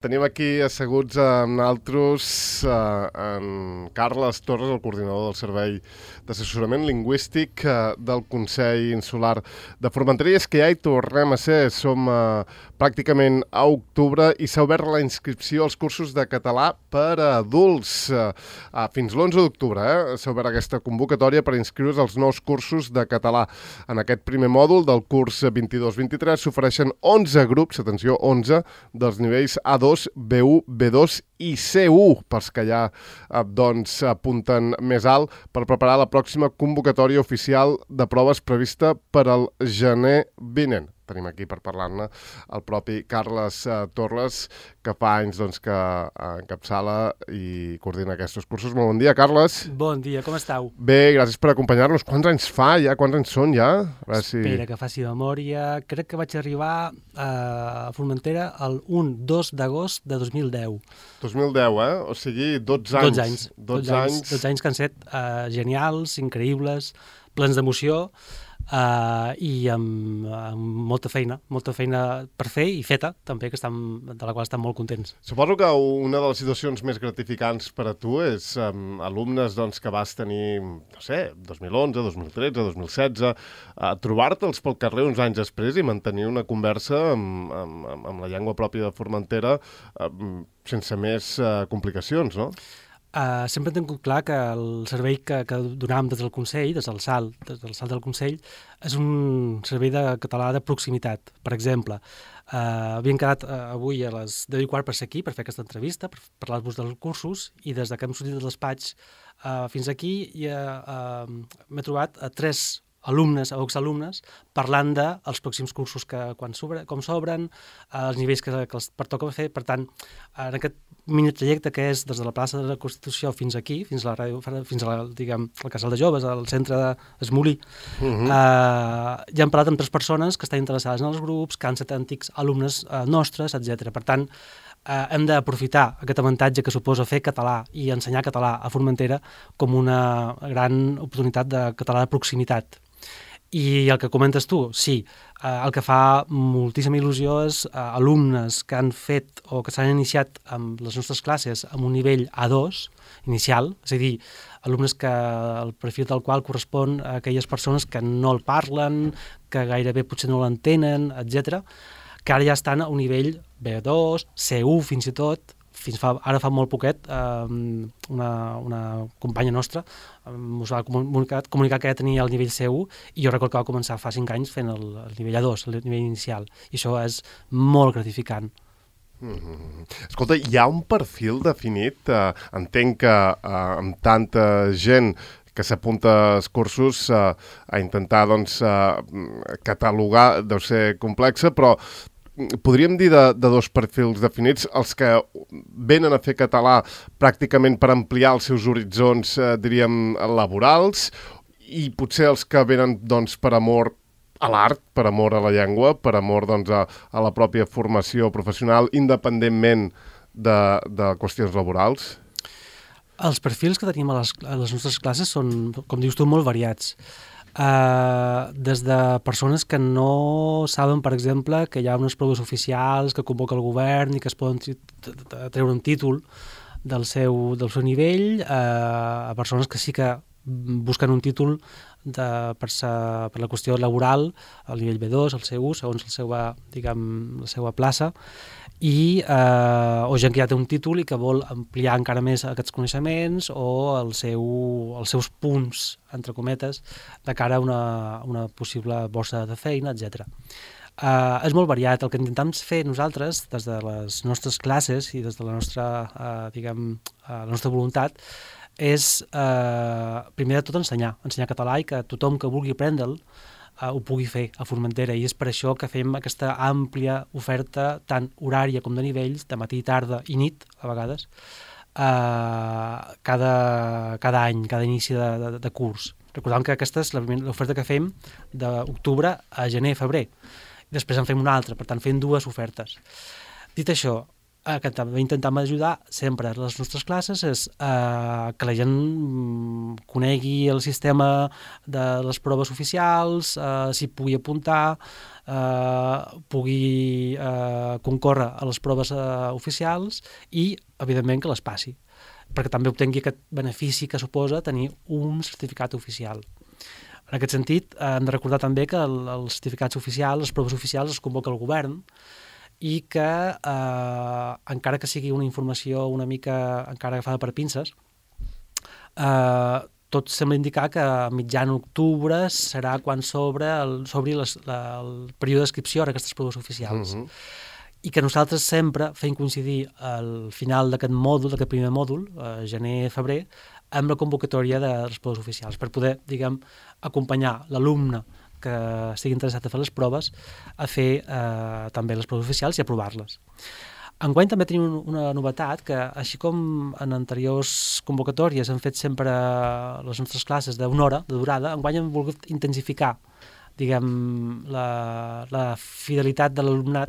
Tenim aquí asseguts amb nosaltres en Carles Torres, el coordinador del Servei d'Assessorament Lingüístic del Consell Insular de Formentera. I és que ja hi tornem a ser, som pràcticament a octubre i s'ha obert la inscripció als cursos de català per a adults. Fins l'11 d'octubre s'ha obert aquesta convocatòria per inscriure's als nous cursos de català. En aquest primer mòdul del curs 22-23 s'ofereixen 11 grups, atenció, 11 dels nivells A2, B1, B2 i C1, pels que ja apunten més alt, per preparar la pròxima convocatòria oficial de proves prevista per al gener vinent. Tenim aquí per parlar-ne el propi Carles Torres, que fa anys que encapçala i coordina aquests cursos. Molt bon dia, Carles. Bon dia, com esteu? Bé, gràcies per acompanyar-nos. Quants anys fa ja? Quants anys són ja? Espera que faci memòria. Crec que vaig arribar a Formentera el 2 d'agost de 2010. 2010, O sigui, 12 anys. 12 anys que han set genials, increïbles, plens d'emoció, i amb molta feina per fer i feta també, de la qual estan molt contents. Suposo que una de les situacions més gratificants per a tu és alumnes que vas tenir, no sé, 2011, 2013, 2016, trobar-te'ls pel carrer uns anys després i mantenir una conversa amb la llengua pròpia de Formentera sense més complicacions, no? Sempre hem tingut clar que el servei que donàvem des del Consell, des del SAL del Consell, és un servei de català de proximitat. Per exemple, havíem quedat avui a les 10:15 per ser aquí, per fer aquesta entrevista, per parlar-vos dels cursos, i des que hem sortit del despatx fins aquí m'he trobat a 3 alumnes o exalumnes parlant dels pròxims cursos com s'obren, els nivells que els pertoca fer. Per tant, en aquest mini trajecte que és des de la plaça de la Constitució fins aquí, fins al casal de joves, al centre d'Esmolí, ja hem parlat amb 3 persones que estan interessades en els grups, que han estat antics alumnes nostres, etc. Per tant, hem d'aprofitar aquest avantatge que suposa fer català i ensenyar català a Formentera com una gran oportunitat de català de proximitat. I el que comentes tu, sí, el que fa moltíssima il·lusió és alumnes que han fet o que s'han iniciat amb les nostres classes amb un nivell A2 inicial, és a dir, alumnes que el perfil del qual correspon a aquelles persones que no el parlen, que gairebé potser no l'entenen, etc., que ara ja estan a un nivell B2, C1 fins i tot. Ara fa molt poquet una companya nostra ens va comunicar que ja tenia el nivell C1 i jo recordo que va començar fa 5 anys fent el nivell A2, el nivell inicial, i això és molt gratificant. Escolta, hi ha un perfil definit? Entenc que amb tanta gent que s'apunta als cursos a intentar catalogar deu ser complexa, però podríem dir de 2 perfils definits, els que venen a fer català pràcticament per ampliar els seus horitzons, diríem, laborals, i potser els que venen per amor a l'art, per amor a la llengua, per amor a la pròpia formació professional, independentment de qüestions laborals? Els perfils que tenim a les nostres classes són, com dius tu, molt variats. Des de persones que no saben, per exemple, que hi ha unes proves oficials que convoca el govern i que es poden treure un títol del seu nivell, a persones que sí que busquen un títol per la qüestió laboral, al nivell B2, al C1, segons la seva plaça, o gent que ja té un títol i que vol ampliar encara més aquests coneixements o els seus punts, entre cometes, de cara a una possible borsa de feina, etc. És molt variat. El que intentem fer nosaltres, des de les nostres classes i des de la nostra voluntat, és, primer de tot, ensenyar català i que tothom que vulgui aprendre'l ho pugui fer a Formentera, i és per això que fem aquesta àmplia oferta, tant horària com de nivells, de matí, tarda i nit, a vegades, cada any, cada inici de curs. Recordem que aquesta és l'oferta que fem d'octubre a gener, febrer. Després en fem una altra, per tant fem 2 ofertes. Dit això, que també intentem ajudar sempre a les nostres classes és que la gent conegui el sistema de les proves oficials, s'hi pugui apuntar, pugui concórrer a les proves oficials i, evidentment, que les passi, perquè també obtingui aquest benefici que suposa tenir un certificat oficial. En aquest sentit, hem de recordar també que els certificats oficials, les proves oficials, es convoca el govern i que, encara que sigui una informació una mica encara agafada per pinces, tot sembla indicar que a mitjan octubre serà quan s'obri el període d'inscripció a aquestes proves oficials. I que nosaltres sempre fem coincidir al final d'aquest mòdul, d'aquest primer mòdul, gener-febrer, amb la convocatòria de les proves oficials, per poder, diguem, acompanyar l'alumne que estigui interessat a fer les proves a fer també les proves oficials i aprovar-les. Enguany també tenim una novetat, que així com en anteriors convocatòries hem fet sempre les nostres classes d'una hora de durada, enguany hem volgut intensificar, diguem, la fidelitat de l'alumnat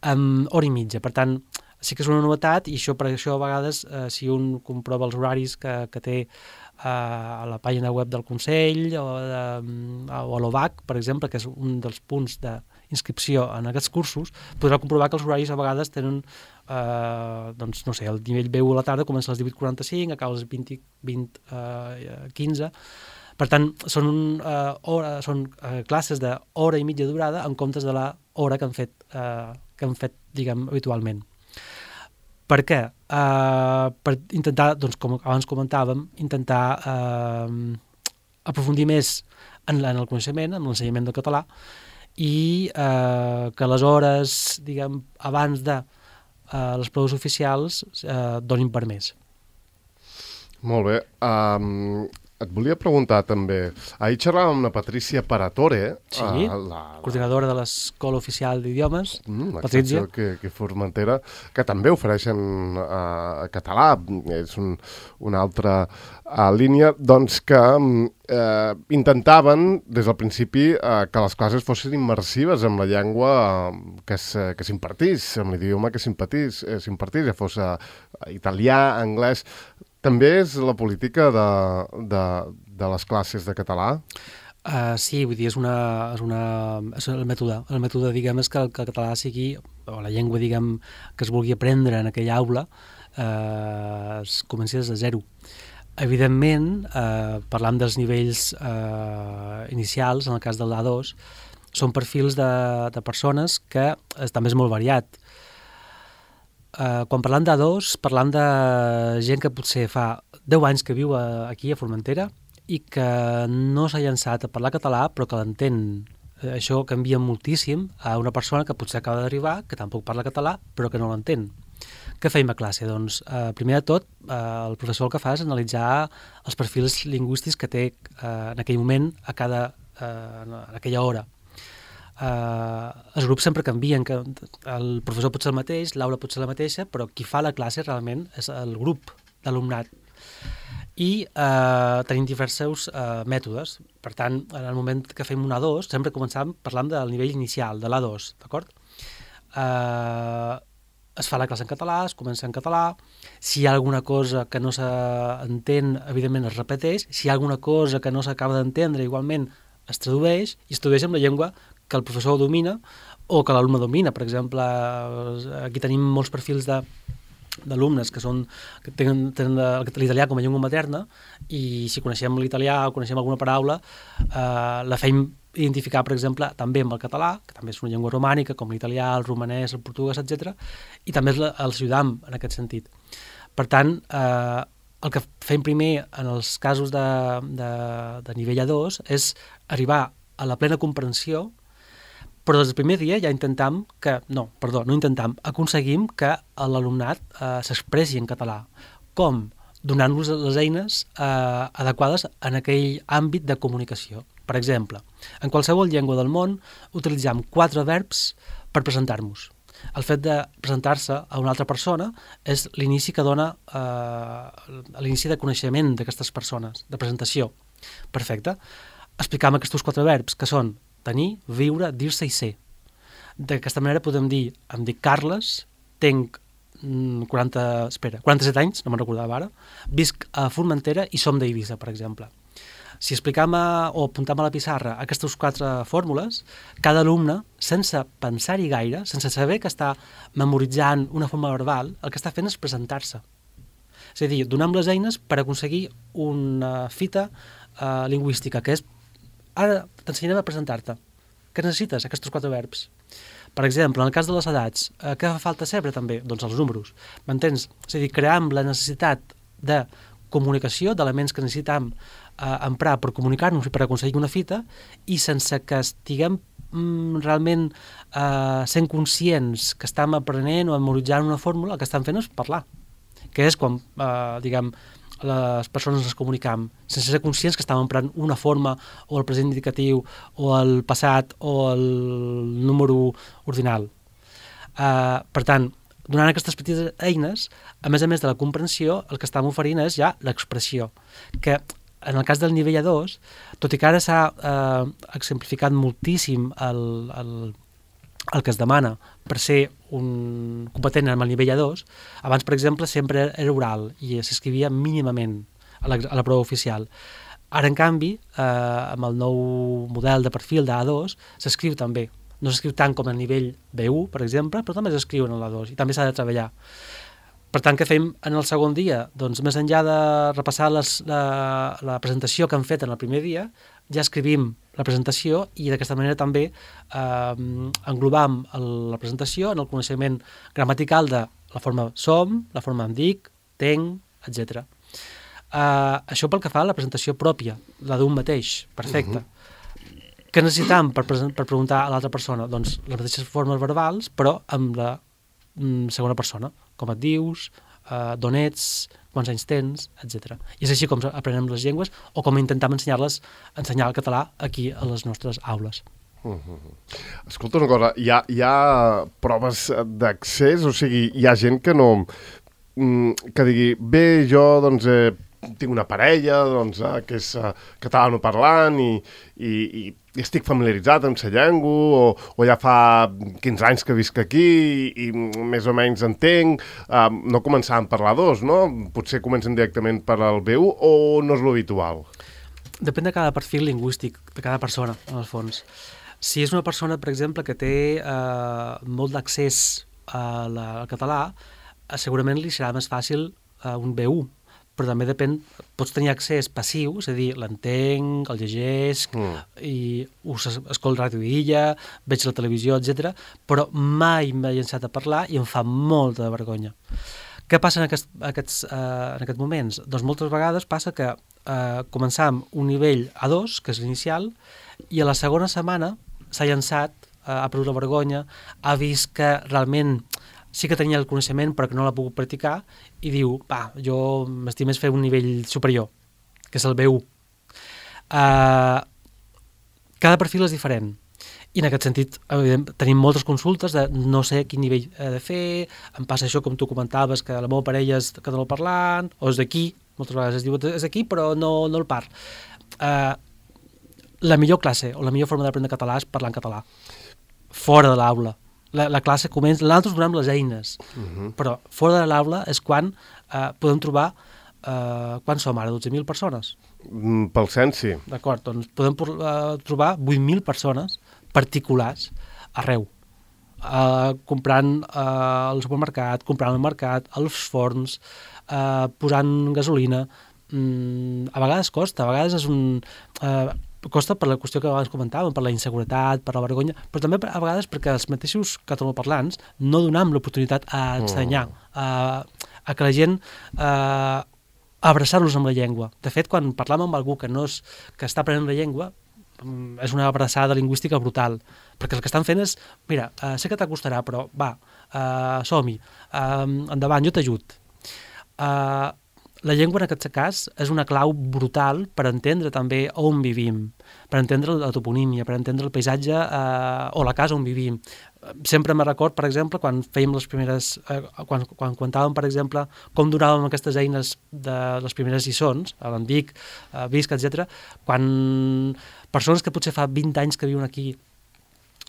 amb hora i mitja. Per tant, sí que és una novetat, i per això a vegades, si un comprova els horaris que té a la pàgina web del Consell o a l'OVAC, per exemple, que és un dels punts d'inscripció en aquests cursos, podrà comprovar que els horaris a vegades tenen, doncs, no sé, el nivell B1 a la tarda comença a les 18:45, acaba a les 20:15. Per tant, són classes d'hora i mitja durada en comptes de l'hora que han fet, diguem, habitualment. Per què? Per intentar, doncs, com abans comentàvem, intentar aprofundir més en el coneixement, en l'ensenyament del català, i que les hores, diguem, abans de les proves oficials donin per més. Molt bé. Et volia preguntar també, ahir xerràvem amb la Patricia Paratore, sí, coordinadora de l'Escola Oficial d'Idiomes, Patricia, que Formentera, que també ofereixen català, és una altra línia, doncs que intentaven des del principi que les classes fossin immersives amb la llengua que s'impartís, amb l'idioma que s'impartís, ja fos italià, anglès. També és la política de les classes de català? Sí, vull dir, és el mètode. El mètode, diguem, és que el català sigui, o la llengua, diguem, que es vulgui aprendre en aquella aula, es comenci des de zero. Evidentment, parlant dels nivells inicials, en el cas del A2, són perfils de persones que també és molt variat. Quan parlam d'A2, parlam de gent que potser fa 10 anys que viu aquí a Formentera i que no s'ha llançat a parlar català però que l'entén. Això canvia moltíssim a una persona que potser acaba d'arribar, que tampoc parla català però que no l'entén. Què feim a classe? Doncs, primer de tot, el professor el que fa és analitzar els perfils lingüístics que té en aquell moment en aquella hora. Els grups sempre canvien, que el professor pot ser el mateix, l'aula pot ser la mateixa, però qui fa la classe realment és el grup d'alumnat. I tenim diversos mètodes. Per tant, en el moment que fem un A2, sempre començam parlant del nivell inicial, de l'A2, d'acord? Es fa la classe en català, es comença en català. Si hi ha alguna cosa que no s'entén, evidentment es repeteix. Si hi ha alguna cosa que no s'acaba d'entendre, igualment es tradueix, i es tradueix amb la llengua que el professor domina o que l'alumne domina. Per exemple, aquí tenim molts perfils d'alumnes que tenen l'italià com a llengua materna, i si coneixem l'italià o coneixem alguna paraula, la fem identificar, per exemple, també amb el català, que també és una llengua romànica, com l'italià, el romanès, el portuguès, etc. I també els ajudam en aquest sentit. Per tant, el que fem primer en els casos de nivell A2 és arribar a la plena comprensió, però des del primer dia ja aconseguim que l'alumnat s'expressi en català. Com? Donant-los les eines adequades en aquell àmbit de comunicació. Per exemple, en qualsevol llengua del món utilitzem 4 verbs per presentar-nos. El fet de presentar-se a una altra persona és l'inici que dona l'inici de coneixement d'aquestes persones, de presentació. Perfecte. Explicam aquests 4 verbs, que són tenir, viure, dir-se i ser. D'aquesta manera podem dir, em dic Carles, tinc 47 anys, no me'n recordava ara, visc a Formentera i som d'Eivissa, per exemple. Si explicam o apuntam a la pissarra aquestes 4 fórmules, cada alumne, sense pensar-hi gaire, sense saber que està memoritzant una forma verbal, el que està fent és presentar-se. És a dir, donem les eines per aconseguir una fita lingüística, que és, ara t'ensenyarem a presentar-te. Què necessites? Aquests 4 verbs. Per exemple, en el cas de les edats, què fa falta saber també? Doncs els números. M'entens? És a dir, cream la necessitat de comunicació, d'elements que necessitem emprar per comunicar-nos i per aconseguir una fita, i sense que estiguem realment sent conscients que estem aprenent o memoritzant una fórmula, el que estem fent és parlar, que és quan, diguem, les persones ens comunicam, sense ser conscients que estàvem emprant una forma o el present indicatiu o el passat o el número ordinal. Per tant, donant aquestes petites eines, a més de la comprensió, el que estem oferint és ja l'expressió, que en el cas del nivell A2, tot i que ara s'ha exemplificat moltíssim el que es demana per ser un competent amb el nivell A2, abans, per exemple, sempre era oral i s'escrivia mínimament a la prova oficial. Ara, en canvi, amb el nou model de perfil d'A2, s'escriu també. No s'escriu tant com a nivell B1, per exemple, però també s'escriu en l'A2 i també s'ha de treballar. Per tant, què fem en el segon dia? Doncs més enllà de repassar la presentació que han fet en el primer dia, ja escrivim la presentació i d'aquesta manera també englobam la presentació en el coneixement gramatical de la forma som, la forma em dic, tenc, etc. Això pel que fa a la presentació pròpia, la d'un mateix, perfecte. Què necessitam per preguntar a l'altra persona? Doncs les mateixes formes verbals, però amb la segona persona, com et dius, d'on ets, quants anys tens, etc. I és així com aprenem les llengües o com intentem ensenyar el català aquí a les nostres aules. Escolta una cosa, hi ha proves d'accés? O sigui, hi ha gent que no... que digui, bé, jo doncs tinc una parella doncs, que és catalanoparlant i estic familiaritzat amb la llengua o ja fa 15 anys que visc aquí i més o menys entenc, no començar a parlar dos, no? Potser comencen directament per al B1 o no és l'habitual? Depèn de cada perfil lingüístic, de cada persona, en el fons. Si és una persona, per exemple, que té molt d'accés al català, segurament li serà més fàcil un B1, però també depèn, pots tenir accés passiu, és a dir, l'entenc, el llegesc, i escolto ràdio d'illa, veig la televisió, etc. però mai m'he llançat a parlar i em fa molta vergonya. Què passa en aquests moments? Doncs moltes vegades passa que començam un nivell A2, que és l'inicial, i a la segona setmana s'ha llançat, ha perdut la vergonya, ha vist que realment sí que tenia el coneixement però que no l'ha pogut practicar i diu, jo m'estic més fer un nivell superior, que és el B1. Cada perfil és diferent i en aquest sentit tenim moltes consultes de no sé quin nivell he de fer, em passa això com tu comentaves, que la meva parella és catalanoparlant o és d'aquí, moltes vegades es diu és d'aquí però no el parl. La millor classe o la millor forma d'aprendre català és parlar en català, fora de l'aula. La classe comença, nosaltres donem les eines, però fora de l'aula és quan podem trobar, quan som ara, 12.000 persones? Pel cens, sí. D'acord, doncs podem trobar 8.000 persones particulars arreu, comprant al supermercat, comprant al mercat, als forns, posant gasolina. A vegades costa, a vegades és costa per la qüestió que abans comentàvem, per la inseguretat, per la vergonya, però també a vegades perquè els mateixos catalanoparlants no donem l'oportunitat a ensenyar, a que la gent abraçar-los amb la llengua. De fet, quan parlam amb algú que està aprenent la llengua, és una abraçada lingüística brutal, perquè el que estan fent és, mira, sé que t'acostarà, però va, som-hi, endavant, jo t'ajud. La llengua, en aquest cas, és una clau brutal per entendre també on vivim, per entendre la toponímia, per entendre el paisatge o la casa on vivim. Sempre me record, per exemple, quan fèiem les primeres... quan contàvem, per exemple, com donàvem aquestes eines de les primeres lliçons, a l'Andic, Visc, etc., quan persones que potser fa 20 anys que viuen aquí,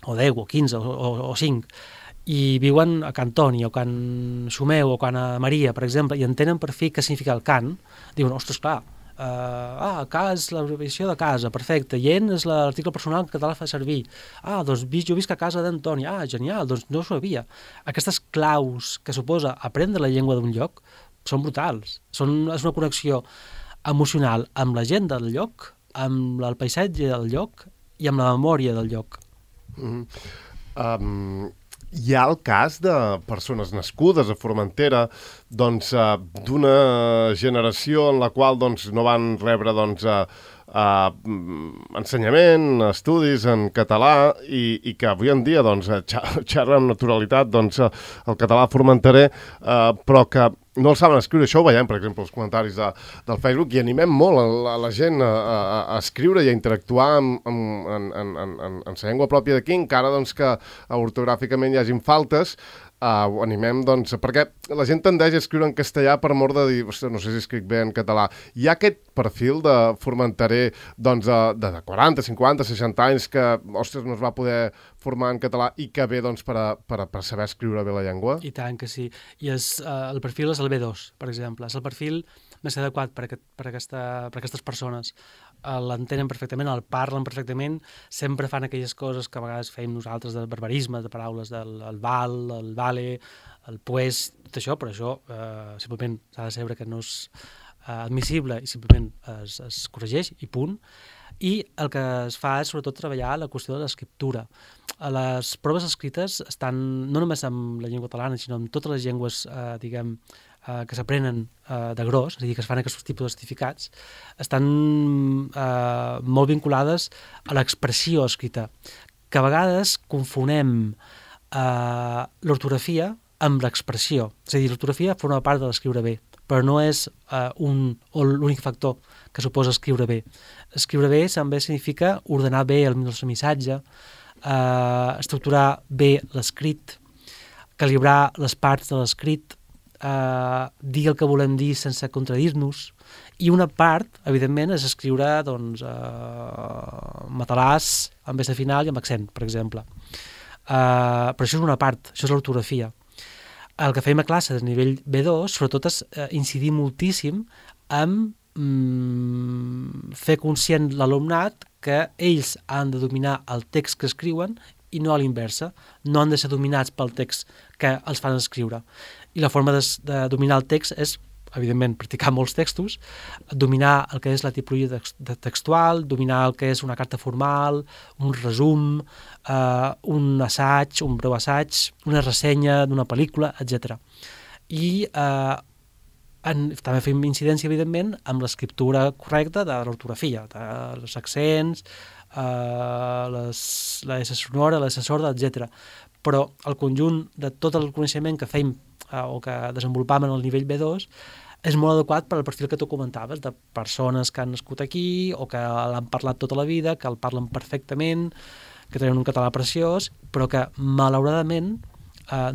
o 10, o 15, o 5, i viuen a Can Toni, o Can Xumeu, o Can Maria, per exemple, i entenen per fi què significa el cant, diuen, ostres, clar, Ca és l'abreviació de casa, perfecte. Yen és l'article personal que el català fa servir. Doncs jo visc a casa d'Antoni. Genial, doncs no ho sabia. Aquestes claus que suposa aprendre la llengua d'un lloc són brutals. És una connexió emocional amb la gent del lloc, amb el paisatge del lloc i amb la memòria del lloc. Hi ha el cas de persones nascudes a Formentera d'una generació en la qual no van rebre ensenyament, estudis en català i que avui en dia xerren amb naturalitat el català formenterer, però que no el saben escriure. Això ho veiem, per exemple, als comentaris del Facebook, i animem molt a la gent a escriure i a interactuar en la llengua pròpia d'aquí, encara que ortogràficament hi hagin faltes. Ho animem, perquè la gent tendeix a escriure en castellà per mort de dir, no sé si escric bé en català. Hi ha aquest perfil de formenterer de 40, 50, 60 anys que, no es va poder formar en català i que ve per saber escriure bé la llengua? I tant que sí. I el perfil és el B2, per exemple. És el perfil més adequat per aquestes persones. L'entenen perfectament, el parlen perfectament, sempre fan aquelles coses que a vegades fem nosaltres de barbarisme, de paraules del val, el vale, el pues, tot això, però això simplement s'ha de saber que no és admissible i simplement es corregeix i punt. I el que es fa és sobretot treballar la qüestió de l'escriptura. Les proves escrites estan no només amb la llengua catalana, sinó amb totes les llengües, que s'aprenen de gros, és a dir, que es fan aquests tipus de certificats, estan molt vinculades a l'expressió escrita, que a vegades confonem l'ortografia amb l'expressió. És a dir, l'ortografia forma part de l'escriure bé, però no és l'únic factor que suposa escriure bé. Escriure bé també significa ordenar bé el nostre missatge, estructurar bé l'escrit, calibrar les parts de l'escrit, dir el que volem dir sense contradir-nos, i una part, evidentment, és escriure matalàs amb S final i amb accent, per exemple. Però això és una part, això és l'ortografia. El que fem a classe de nivell B2, sobretot, és incidir moltíssim en fer conscient l'alumnat que ells han de dominar el text que escriuen i no a l'inversa, no han de ser dominats pel text que els fan escriure. I la forma de dominar el text és, evidentment, practicar molts textos, dominar el que és la tipologia textual, dominar el que és una carta formal, un resum, un assaig, un breu assaig, una ressenya d'una pel·lícula, etc. I també fem incidència, evidentment, amb l'escriptura correcta de l'ortografia, dels accents, la S sonora, la S sorda, etc. Però el conjunt de tot el coneixement que fem o que desenvolupam en el nivell B2 és molt adequat per al perfil que tu comentaves, de persones que han nascut aquí o que l'han parlat tota la vida, que el parlen perfectament, que tenen un català preciós, però que, malauradament,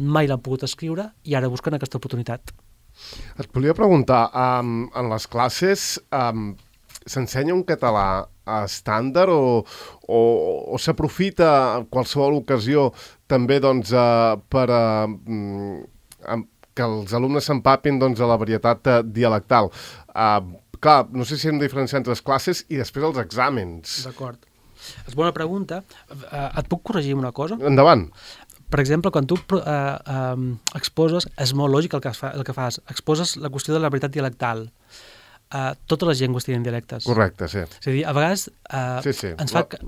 mai l'han pogut escriure i ara busquen aquesta oportunitat. Et volia preguntar, en les classes s'ensenya un català estàndard o s'aprofita en qualsevol ocasió també per que els alumnes s'empapin a la varietat dialectal? Clar, no sé si hem de diferenciar entre les classes i després els exàmens. D'acord. És bona pregunta. Et puc corregir una cosa? Endavant. Per exemple, quan tu exposes, és molt lògic el que fas, exposes la qüestió de la varietat dialectal. Totes les llengües tenen dialectes. Correcte, sí. És a dir, a vegades sí.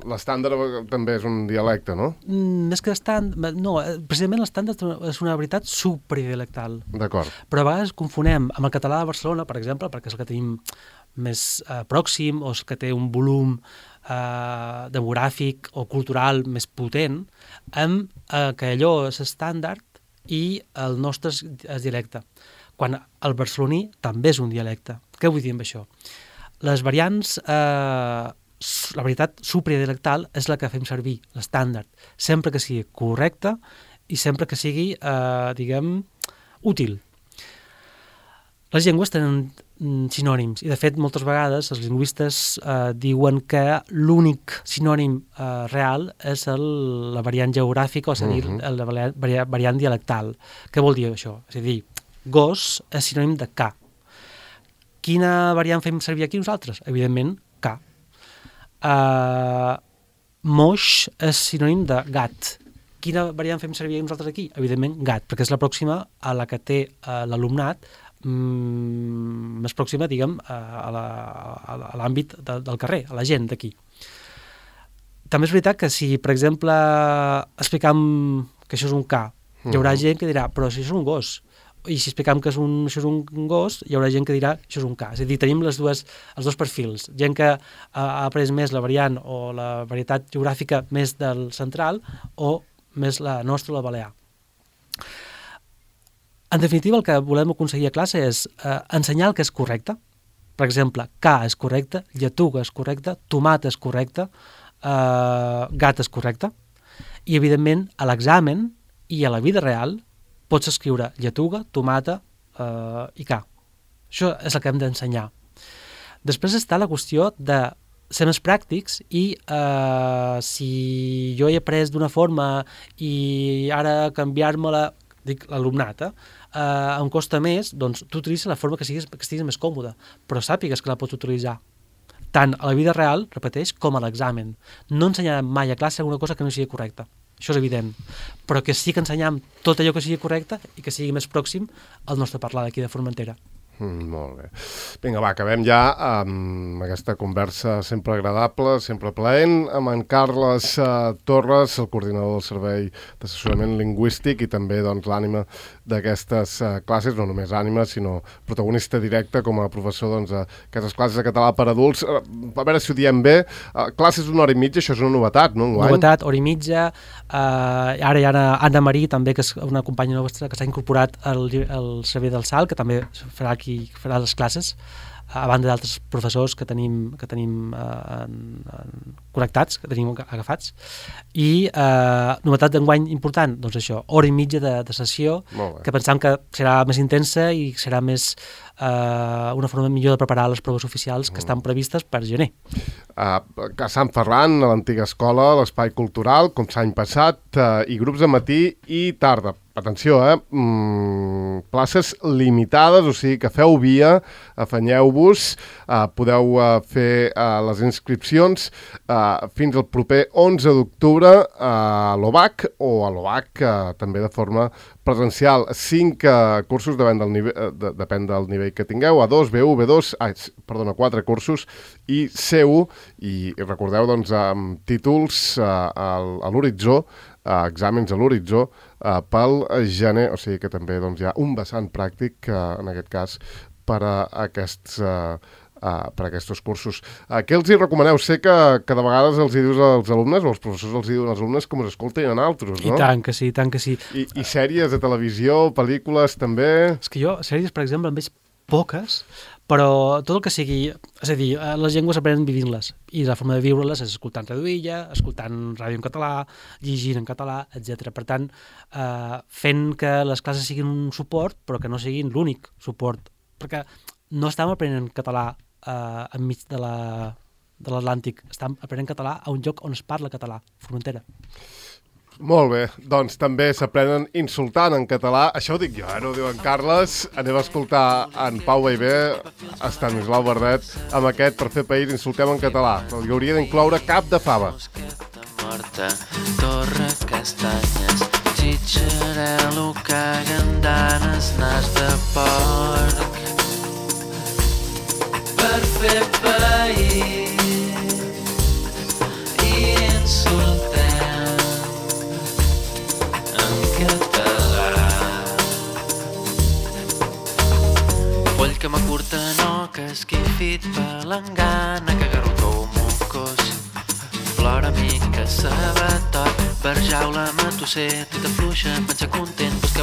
L'estàndard també és un dialecte, no? Més que estàndard... No, precisament l'estàndard és una varietat supradialectal. D'acord. Però a vegades confonem amb el català de Barcelona, per exemple, perquè és el que tenim més pròxim o és el que té un volum demogràfic o cultural més potent, amb que allò és estàndard i el nostre és dialecte, quan el barceloní també és un dialecte. Què vull dir amb això? Les variants, la varietat supradialectal és la que fem servir, l'estàndard, sempre que sigui correcta i sempre que sigui, útil. Les llengües tenen sinònims, i de fet moltes vegades els lingüistes diuen que l'únic sinònim real és la variant geogràfica, o és a dir, la variant dialectal. Què vol dir això? És a dir, gos és sinònim de ca. Quina variant fem servir aquí nosaltres? Evidentment, K. Moix és sinònim de gat. Quina variant fem servir nosaltres aquí? Evidentment, gat, perquè és la pròxima a la que té l'alumnat més pròxima, diguem, a l'àmbit del carrer, a la gent d'aquí. També és veritat que si, per exemple, explicam que això és un K, hi haurà gent que dirà, però si això és un gos. I si explicam que això és un gos, hi haurà gent que dirà que això és un K. És a dir, tenim els dos perfils. Gent que ha après més la variant o la varietat geogràfica més del central o més la nostra, la balear. En definitiva, el que volem aconseguir a classe és ensenyar el que és correcte. Per exemple, K és correcte, lletuga és correcte, tomata és correcte, gat és correcte. I, evidentment, a l'examen i a la vida real pots escriure lletuga, tomata i K. Això és el que hem d'ensenyar. Després està la qüestió de ser més pràctics i si jo he après d'una forma i ara canviar-me-la, dic l'alumnat, em costa més, doncs tu utilitza la forma que estiguis més còmode, però sàpigues que la pots utilitzar tant a la vida real, repeteix, com a l'examen. No ensenyarem mai a classe alguna cosa que no sigui correcta. Això és evident, però que sí que ensenyam tot allò que sigui correcte i que sigui més pròxim al nostre parlar d'aquí de Formentera. Molt bé. Vinga, va, acabem ja amb aquesta conversa sempre agradable, sempre plaent, amb en Carles Torres, el coordinador del Servei d'Assessorament Lingüístic i també doncs, l'ànima d'aquestes classes, no només ànima, sinó protagonista directe com a professor doncs, d'aquestes classes de català per adults. A veure si ho diem bé, classes d'una hora i mitja, això és una novetat, no? Enguany? Novetat, hora i mitja. Ara hi ha Anna Marí, també, que és una companya nostra que s'ha incorporat al Servei del SAL, que també farà aquí farà les classes, a banda d'altres professors que tenim connectats, que tenim agafats. I novetat d'enguany important, doncs això, hora i mitja de sessió, que pensam que serà més intensa i serà més una forma millor de preparar les proves oficials que estan previstes per gener. A Sant Ferran, a l'antiga escola, l'Espai Cultural, com l'any passat, i grups de matí i tarda. Atenció, places limitades, o sigui que feu via, afanyeu-vos, podeu fer les inscripcions fins al proper 11 d'octubre a l'OBAC o a l'OBAC també de forma presencial. 5 cursos depèn del nivell que tingueu, A2, B1, B2, 4 cursos i C1, i recordeu doncs amb títols a l'horitzó, exàmens a l'horitzó pel gener, o sigui que també doncs, hi ha un vessant pràctic en aquest cas per a aquests cursos. Què els hi recomaneu? Sé que de vegades els hi dius als alumnes, o els professors els hi diuen als alumnes com us escolten a altres, no? I tant que sí, i tant que sí. I sèries de televisió, pel·lícules també? És que jo, sèries, per exemple, en veig poques, però tot el que sigui... És a dir, les llengües aprenen vivint-les, i la forma de viure-les és escoltant Reduïlla, escoltant ràdio en català, llegint en català, etc. Per tant, fent que les classes siguin un suport, però que no siguin l'únic suport, perquè no estem aprenent català enmig de l'Atlàntic, estem aprenent català a un lloc on es parla català, Formentera. Molt bé, doncs també s'aprenen insultant en català. Això ho dic jo, no ho diu en Carles. Anem a escoltar en Pau Baivé, Estanislau Bardet, amb aquest Per fer país insultem en català. Hi hauria d'incloure cap de fava. Morta, torre, castanyes, xitxarel·lo, cagandanes, nas de porc. Per fer país i insultem que m'acurta no, que esquifit palangana, que garrotó mocós, plora mica sabatot, barjaula matusser, tota fluixa, pensa content, busca